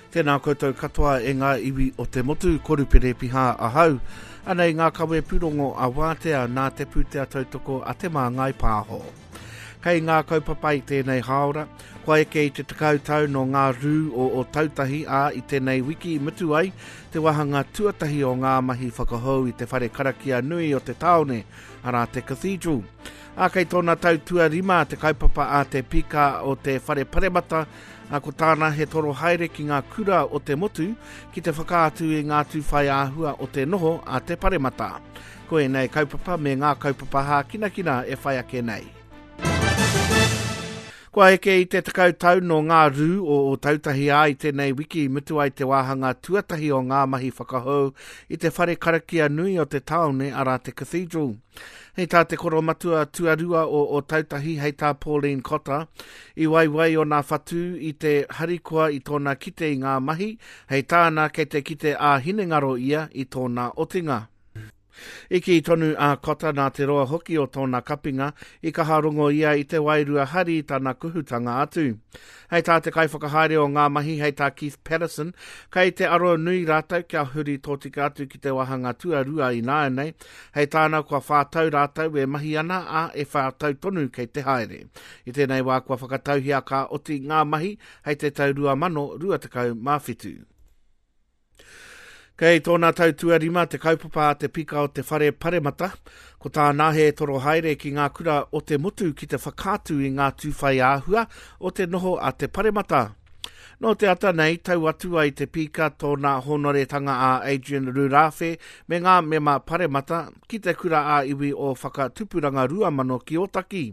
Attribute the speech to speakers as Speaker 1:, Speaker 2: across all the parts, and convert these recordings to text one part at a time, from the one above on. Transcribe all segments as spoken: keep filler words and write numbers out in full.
Speaker 1: Tēnā koutou katoa e ngā iwi o te motu, ko Rupere Piha ahau. Anei ngā kawe pūrongo a Wātea nā te pūtea tautoko a Te Māngai Pāho. Kei ngā kaupapa i tēnei hāora, kua eke i te tekau tau no ngā rū o Ōtautahi ā i tēnei wiki i mutu ai te wāhanga tuatahi o ngā mahi whakahou i te whare karakia nui o te tāone, arā te Cathedral. Ā, kei tōna tau tuarima te kaupapa a te pika o te whare paremata, ā, ko tāna he toro haere ki ngā kura o te motu ki te whakaatu i ngā tūwhai āhua o te noho a te paremata. Ko ēnei kaupapa me ngā kaupapa hākinakina e whai ake nei. Kua eke i te tekau tau no ngā rū o Ōtautahi ā i tēnei wiki i mutu ai te wāhanga tuatahi o ngā mahi whakahou i te whare karakia nui o te tāone arā te Cathedral. Hei tā te koromatua tuarua o Ōtautahi, hei tā Pauline Cotter, i waiwai ōna whatu i te harikoa i tōna kite i ngā mahi, hei tāna kei te kite ā-hinengaro ia i tōna otinga. I kī tonu a Cotter nā te roa hoki o tōna kapinga, i kaha rongo ia i te wairua hari i tana kuhutanga atu. Hei tā te kaiwhakahaere o ngā mahi, hei tā Keith Patterson, kei te aro nui rātou kia huri tōtika atu ki te wāhanga tuarua ināianei, hei tāna kua whā tau rātou e mahi ana, ā, e whā tau tonu kei te haere. I tēnei wā kua whakatauhia ka oti ngā mahi hei te tau rua mano rua tekau mā whitu. Kei tōna tau tuarima te kaupapa a te pika o te whare paremata, ko tāna he toro haere ki ngā kura o te motu ki te whakaatu i ngā tūwhai āhua o te noho a te paremata. Nō te ata nei, tau atu ai te pika tōna hōnoretanga a Adrian Rurawhe me ngā mema paremata ki te kura ā-iwi o Whakatupuranga Ruamano ki Ōtaki.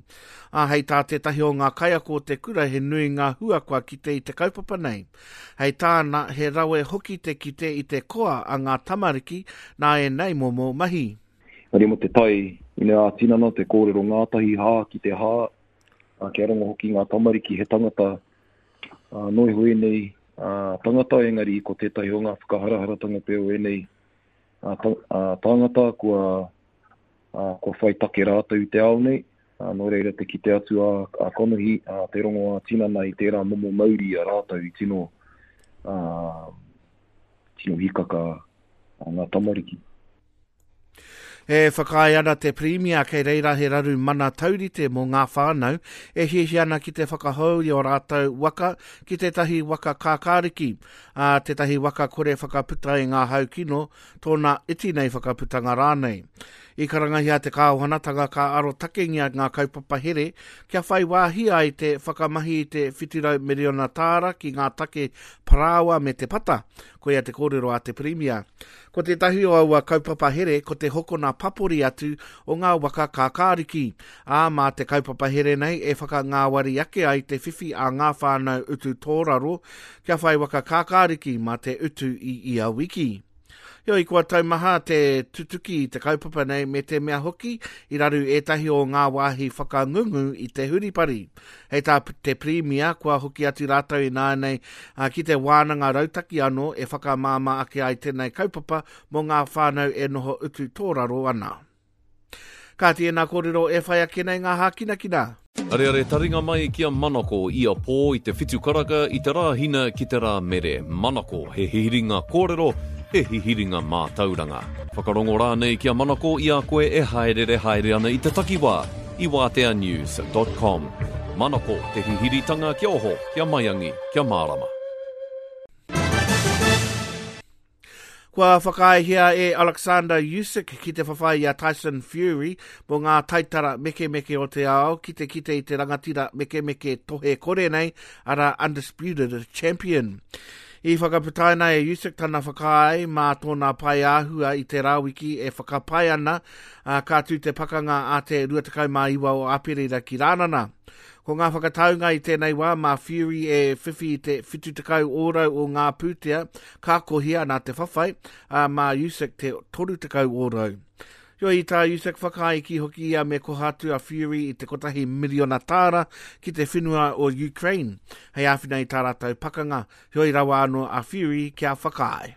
Speaker 1: Ā, hei tā tētahi o ngā kaiako o te kura he nui ngā hua kua kite i te kaupapa nei. Hei tāna, he rawe hoki te kite i te koa a ngā tamariki nā ēnei momo mahi.
Speaker 2: Ari mo te tai, ine ā-tinana, te kōrero ngātahi hā ki te hā, ā, kia rongo hoki ngā tamariki he tangata Uh, no iho ēnei uh, tangata, engari ko tētahi o ngā whakaharaharatanga pea o ēnei uh, ta, uh, tāngata kua, uh, kua whai take rātou i te ao nei. Uh, nō reira te kite atu a, a konohi, uh, te rongo a tinana i tērā momo mauri a rātou i tino, uh, tino hikaka uh, ngā tamariki.
Speaker 1: E whakaae ana te Pirimia kei reira he raru mana taurite mō ngā whānau e hiahia ana ki te whakahou i o rātou waka ki tētahi waka kākāriki, ā, tētahi waka kore whakaputa i ngā hau kino, tōna iti nei whakaputanga rānei. I karangahia te kāwanatanga ka arotakengia ngā kaupapa here kia whai wāhi ai te whakamahi i te whiturau miriona tāra ki ngā take parāoa me te pata, koia te kōrero a te Pirimia. Ko tētahi o aua kaupapa here ko te hokona papori atu o ngā waka kākāriki. Ā, mā te kaupapa here nei e whakangāwari ake ai te whiwhi a ngā whānau utu tōraro kia whai waka kākāriki mā te utu i ia wiki. Heoi, kua taumaha te tutuki i te kaupapa nei me te mea hoki i raru ētahi o ngā wāhi whakangungu i te huripari. Hei tā te Pirimia, kua hoki atu rātou ināianei ki te wānanga rautaki anō e whakamāmā ake ai tēnei kaupapa mō ngā whānau e noho utu tōraro ana. Kāti ēnā kōrero e whai ake nei ngā hākinakina.
Speaker 3: Areare taringa mai ki a Manako ia pō i te whitu karaka i te rā hina ki te rā mere. Manako, he hihiringa kōrero, he hihiringa mātauranga. Whakarongo rānei ki a Manako i a koe e haerere haere ana i te takiwā i wātea news dot com. Manako, te hihiritanga kia oho, kia maiangi, kia mārama.
Speaker 1: Kua whakaaehia e Alexander Usyk ki te whawhai i a Tyson Fury mō ngā taitara mekemeke o te ao ki te kite i te rangatira mekemeke tohe kore nei, arā Undisputed Champion. I whakaputaina e Usyk tana whakaae mā tōna pai āhua i te rāwiki e whakapae ana, ā, ka tū te pakanga a te rua tekau mā iwa o Aperira ki Rānana. Ko ngā whakataunga i tēnei wā mā Fury e whiwhi i te whitu tekau ōrau o ngā pūtea ka kohia nā te whawhai, ā, mā Usyk te toru tekau ōrau. Heoi, i tā Usyk whakaae ki hoki ia me koha atu a Fury i te kotahi miriona tāra ki te whenua o Ukraine, hei āwhina i tā rātou pakanga, heoi rawa anō a Fury kia whakaae.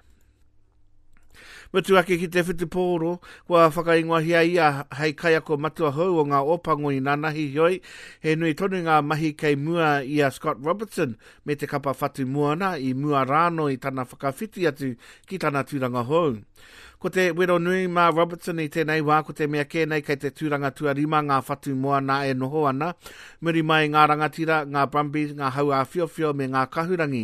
Speaker 1: Mutu ake ki te whutupōro, kua whakaingoahia ia hei kaiako matua hou o ngā Ōpango i nanahi heoi, he nui tonu ngā mahi kei mua i a Scott Robertson me te kapa whatu moana i mua rāno i tana whakawhiti atu ki tana tūranga hou. Ko te wero nui mā Robertson i tēnei wā, ko te mea kē nei kei te tūranga tuarima ngā whatu moana e noho ana, muri mai ngā rangatira, ngā Brumbies, ngā hau āwhiowhio me ngā kahurangi.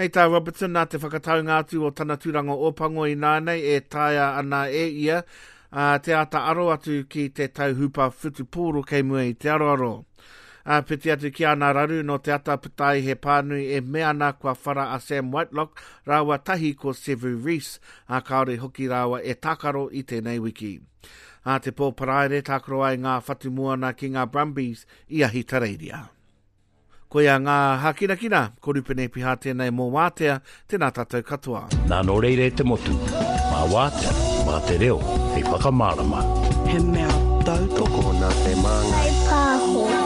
Speaker 1: Hei tā Robertson nā te whakataunga atu o tana tūranga Ōpango i nānei e taea ana e ia uh, te āta aro atu ki te tau hupa whutupōro kei mua i te aroaro. Āpiti atu ki ana raru no te ata puta ai he pānui e mea ana kua whara a Sam Whitelock rāua tahi ko Sevu Reece, a kāore hoki rāua e tākaro i tēnei wiki. A te pō Paraire tākaro ai ngā whatu moana ki ngā Brumbies i Ahitereiria. Koia ngā hākinakina, ko Rupene Piha tēnei mō Wātea, tēnā tātou katoa.
Speaker 4: Nā nō reira e te motu, mā Wātea, mā te reo, hei whakamārama.
Speaker 5: He mea tautoko
Speaker 6: nā te māngai.
Speaker 7: Pāho.